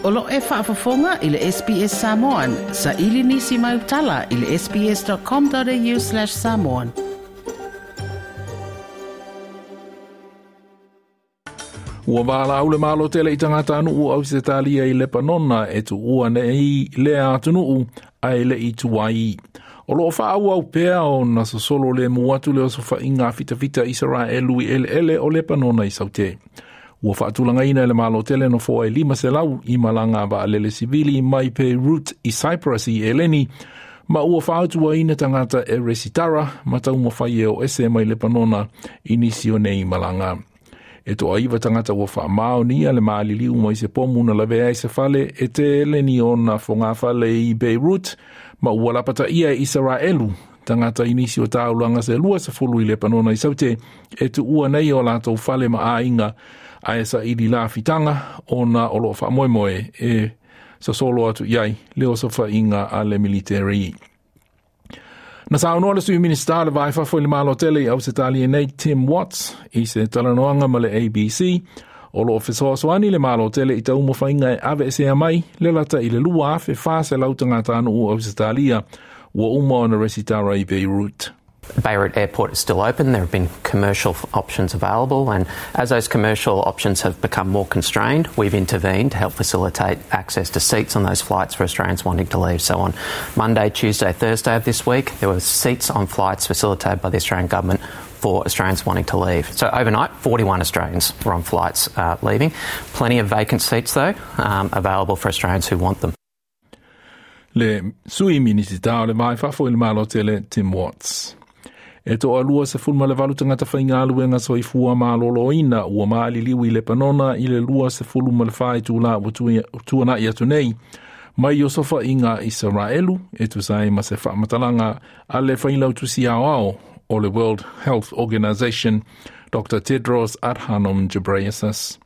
O lo e faafofoga i le SBS Samoan. Saili nisi mau tala i le sbs.com.au/samoan. Ua valaau le Malo tele i tagatanuu o Ausetalia i Lepanona e tuua nei lea atunuu ae le i tuai. O loo faaauau pea ona sosolo lemu atu le osofaiga fitafita Isaraelu i eleele o Lepanona i Saute. Ua faatulagaina e le Malo tele nofoa e 500 i malaga vaalele sivili mai Beirut i Cyprus i Eleni, ma ua fautuaina tagata e resitara ma taumafai e o ese mai Lepanona i nisi o nei malaga. E toaiva tagata ua faamaonia le maliliu mai se pomu na lavea i se fale e tele ni ona fogafale i Beirut, ma ua lapataia e Isaraelu tagata i nisi o taulaga se 20 i Lepanona i Saute e tuua nei o latou fale ma aiga ae saili lafitaga ona o loo faamoemoe e sosolo atu i ai le osofaiga a le military. Na saunoa le sui Minista le Va i Fafo i le Malo Tele i Ausetalia nei Tim Watts i se talanoaga ma le ABC o loo fesoasoani le Malo Tele i taumafaiga e aveesea mai le lata i le 2,400 tagatanuu o Ausetalia ua uma ona resitara i Beirut. Beirut Airport is still open. There have been commercial options available, and as those commercial options have become more constrained, we've intervened to help facilitate access to seats on those flights for Australians wanting to leave. So on Monday, Tuesday, Thursday of this week, there were seats on flights facilitated by the Australian government for Australians wanting to leave. So overnight, 41 Australians were on flights leaving. Plenty of vacant seats, though, available for Australians who want them. Le sui Minisita o le Va i Fafo i le Malo Tele Tim Watts. E 28 tagata faigaluega soifua malōlōina ua maliliu i Lepanona i le 24 itulā ua tuana'i atu nei mai osofaiga Isaraelu e tusa ai ma se faamatalaga a le failautusi aoao o le World Health Organization Dr. Tedros Adhanom Ghebreyesus.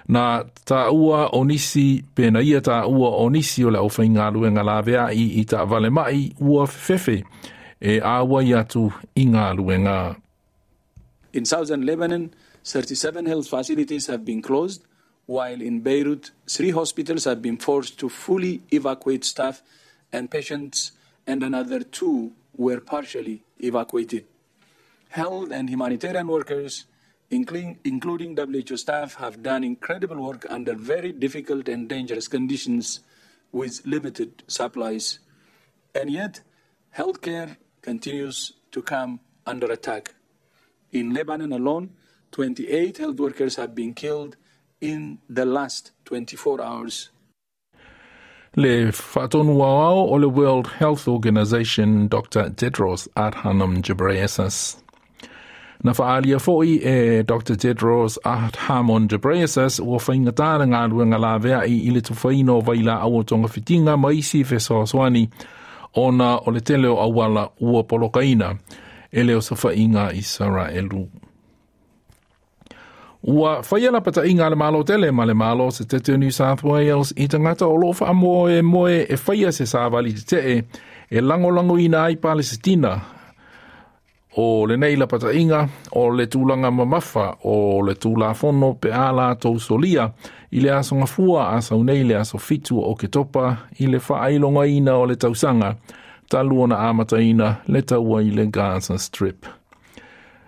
Na taua o nisi pena ia taua o nisi o le aufaigaluega laveai i taavale mai ua fefefe e auai atu i galuega. In southern Lebanon, 37 health facilities have been closed, while in Beirut, 3 hospitals have been forced to fully evacuate staff and patients, and another 2 were partially evacuated. Health and humanitarian workers, including WHO staff, have done incredible work under very difficult and dangerous conditions with limited supplies. And yet, healthcare continues to come under attack. In Lebanon alone, 28 health workers have been killed in the last 24 hours. Le faatonu aoao o le World Health Organization Dr. Tedros Adhanom Ghebreyesus. Na faaalia fo'i e Dr. Tedros Adhanom Ghebreyesus ua faigata le galuega laveai i le tufaina o vailaau o togafitiga ma isi fesoasoani ona o le tele o auala ua polokaina e le osofaiga Isaraelu. Ua faia lapata'iga a le Malo tele ma le Malo Setete o New South Wales i tagata o loo faamoemoe e faia se savali tetee e lagolagoina ai Palesitina. O lenei lapata'iga o le tulaga mamafa o le Tulafono pe a latou solia i le aso Gafua a sau nei le aso 7 o Oketopa i le faailogaina o le tausaga talu ona amataina le taua i le Gaza Strip.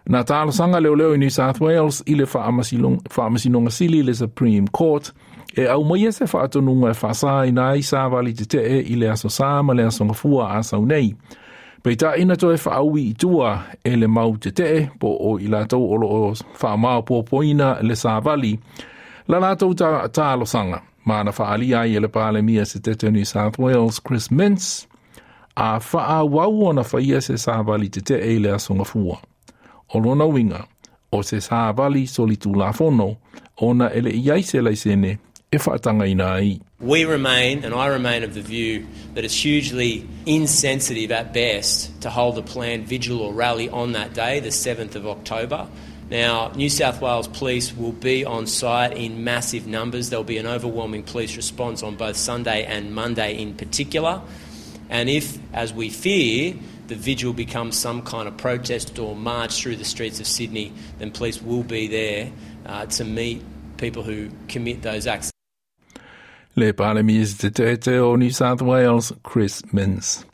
Na talosaga leoleo i New South Wales i le faamasinoga sili le Supreme Court e aumaia se faatonuga e faasaina ai savali tetee i le aso Sā ma le aso Gafua a sau nei. Peitai na toe faaui i tua e le mau tetee po o i latou o loo faamaopoopoina le savali la latou talosaga ma na faaalia ai e le Palemia Setete o New South Wales Chris Minns a faaauau ona faia se savali tetee i le aso Gafua. O lona uiga o se savali solitulafono ona e le i ai se laisene e faatagaina ai. We remain, and I remain of the view, that it's hugely insensitive at best to hold a planned vigil or rally on that day, the 7th of October. Now, New South Wales Police will be on site in massive numbers. There'll be an overwhelming police response on both Sunday and Monday in particular. And if, as we fear, the vigil becomes some kind of protest or march through the streets of Sydney, then police will be there to meet people who commit those acts. Le Palemia Setete o New South Wales, Chris Minns.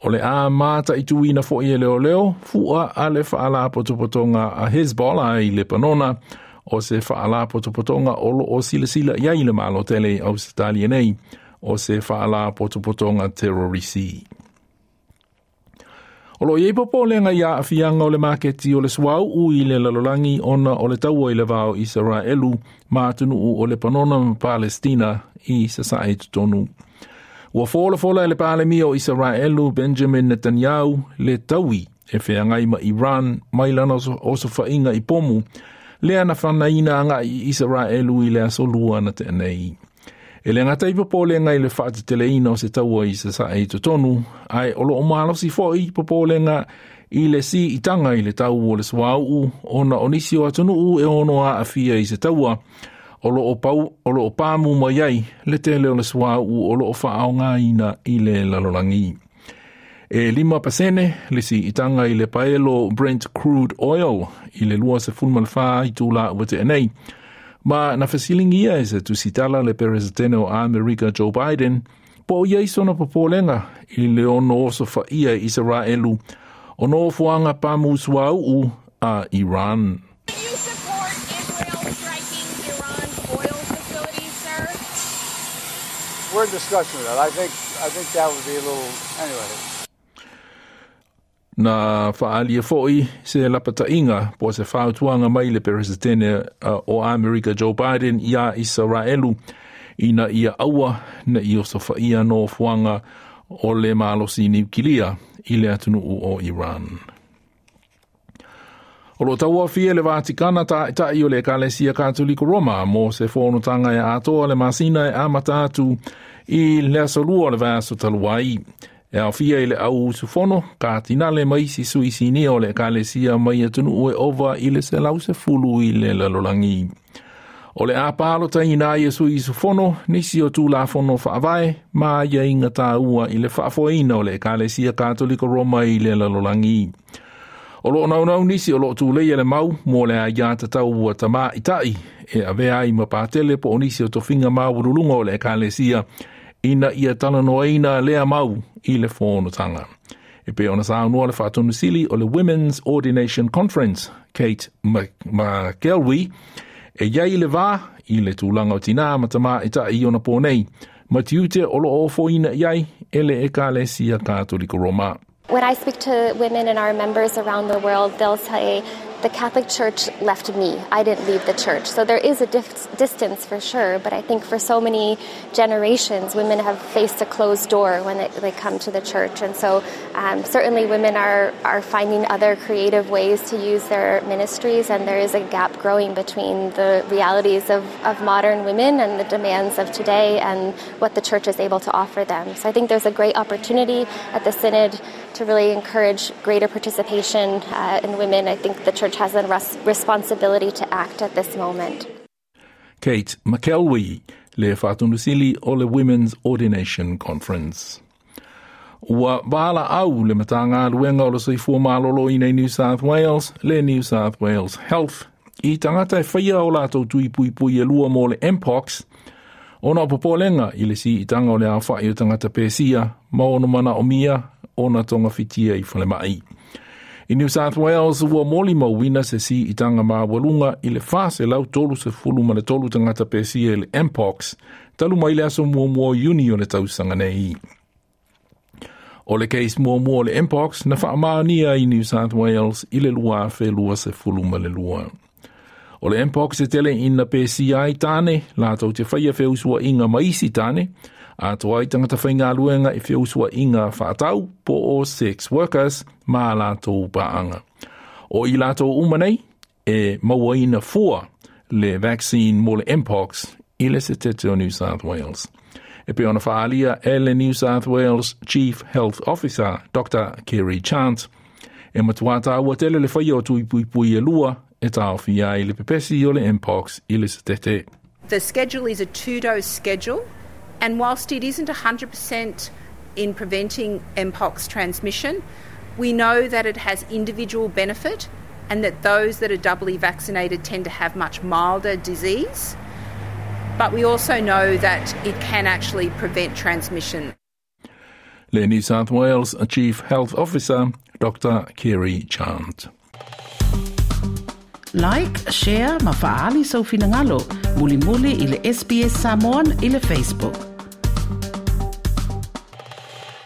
O le a mataituina fo'i e leoleo, fua a le faalapotopotoga a Hezbollah i Lepanona, o se faalapotopotoga o lo o silasila i ai le Malo tele i Ausetalia nei, o se faalapotopotoga terorisi. O lo o i ai popolega i aafiaga o le maketi o le suauu i le lalolagi ona o le taua i le va o Isaraelu ma atunuu o Lepanona ma Palestina i sasae i totonu. Ua folafola e le Palemia o Isaraelu Benjamin Netanyahu le taui e feagai ma Iran mai lana osofaiga i pomu lea na fanaina agai i Isaraelu i le aso Lua na tea nei. E le gata i popolega i le faateteleina o se taua i sasae i totonu, ae o lo o malosi foi popolega i le siitaga i le tau o le suauu ona o nisi o atunuu e ono aafia i se taua o lo o, pau, o lo o pamu mai ai le tele o le suauu o lo o faaaogaina i le lalolagi. E 5% le siitaga i le paelo Brent crude oil i le 24 itula ua tea nei, ma na fesiligia e se tusitala le Peresetene o Amerika Joe Biden po o i ai sona popolega i le ono osofaia e Isaraelu o nofoaga pamu suauu a Iran. Do you support Israel striking Iran's oil facilities, sir? We're in discussion of that. I think that would be a little anyway. Na faaalia foi se lapataiga po o se fautuaga mai le Peresetene o Amerika Joe Biden iā Isaraelu ina ia aua ne i osofaia nofoaga o le malosi niukilia i le atunuu o Iran. O lo o tauaofia le Vatikana taitai o le Ekalesia Katoliko Roma mo se fonotaga e atoa le masina e amata atu i le aso Lua o le vaiaso talu ai. E aofia i le au usufono, katinale ma isi sui sinia o le Ekalesia mai atunuu e ova i le 110 i le lalolagi. O le a palotaina ai e sui usufono nisi o Tulafono Faavae ma aiaiga taua i le faafoeina o le Ekalesia Katoliko Roma i le lalolagi. O lo o naunau nisi o lo o tuleia le mau mo le aiatatau ua tamaitai e avea ai ma patele po o nisi o tofiga maualuluga o le Ekalesia ina ia talanoaina lea mau i le fonotaga. E pei ona saunoa le Faatonusili o le Women's Ordination Conference, Kate McElwee, e i ai le va i le tulaga o tinā ma tamaitai i ona pō nei, ma tiute o lo o ofoina i ai e le Ekalesia Katoliko Roma. When I speak to women and our members around the world, they'll say, "The Catholic Church left me. I didn't leave the church." So there is a distance for sure, but I think for so many generations, women have faced a closed door when they come to the church. And so certainly women are finding other creative ways to use their ministries, and there is a gap growing between the realities of modern women and the demands of today and what the church is able to offer them. So I think there's a great opportunity at the Synod to really encourage greater participation in women. I think the church has a responsibility to act at this moment. Kate McElwee, le Faatonusili o le Women's Ordination Conference. Ua valaau le Matagaluega o le Soifua Maloloina i New South Wales, le New South Wales Health, i tagata e faia o latou tui puipui e lua mo le Mpox, ona o popolega i le siitaga o le aofai o tagata pesia ma ono manaomia ona togafitia i falemai. I New South Wales ua molimauina se siitaga maualuga i le 433 tagata pesia i le Mpox, talu mai le aso 1 o Iuni o le tausaga nei. O le case muamua o le Mpox na faamaonia i New South Wales i le 2022. O le Mpox e tele ina pesia ai tāne, latou te faia feusuaiga ma isi tāne, atoa ai tagata faigaluega i feusuaiga faatau po o sex workers ma latou paaga. O i latou uma nei, e mauaina fua le vaccine mo le Mpox i le setete o New South Wales. E pei ona faaalia e le New South Wales Chief Health Officer, Dr. Kerry Chant, e matua taua tele le faia o tui puipui e lua e taofia ai le pepesi o le Mpox i le setete. The schedule is a two dose schedule, and whilst it isn't 100% in preventing Mpox transmission, we know that it has individual benefit and that those that are doubly vaccinated tend to have much milder disease. But we also know that it can actually prevent transmission. Le New South Wales Chief Health Officer, Dr. Kerry Chant. Like, share, ma faali sau finangalo, mulimuli i le SBS Samoan i le Facebook.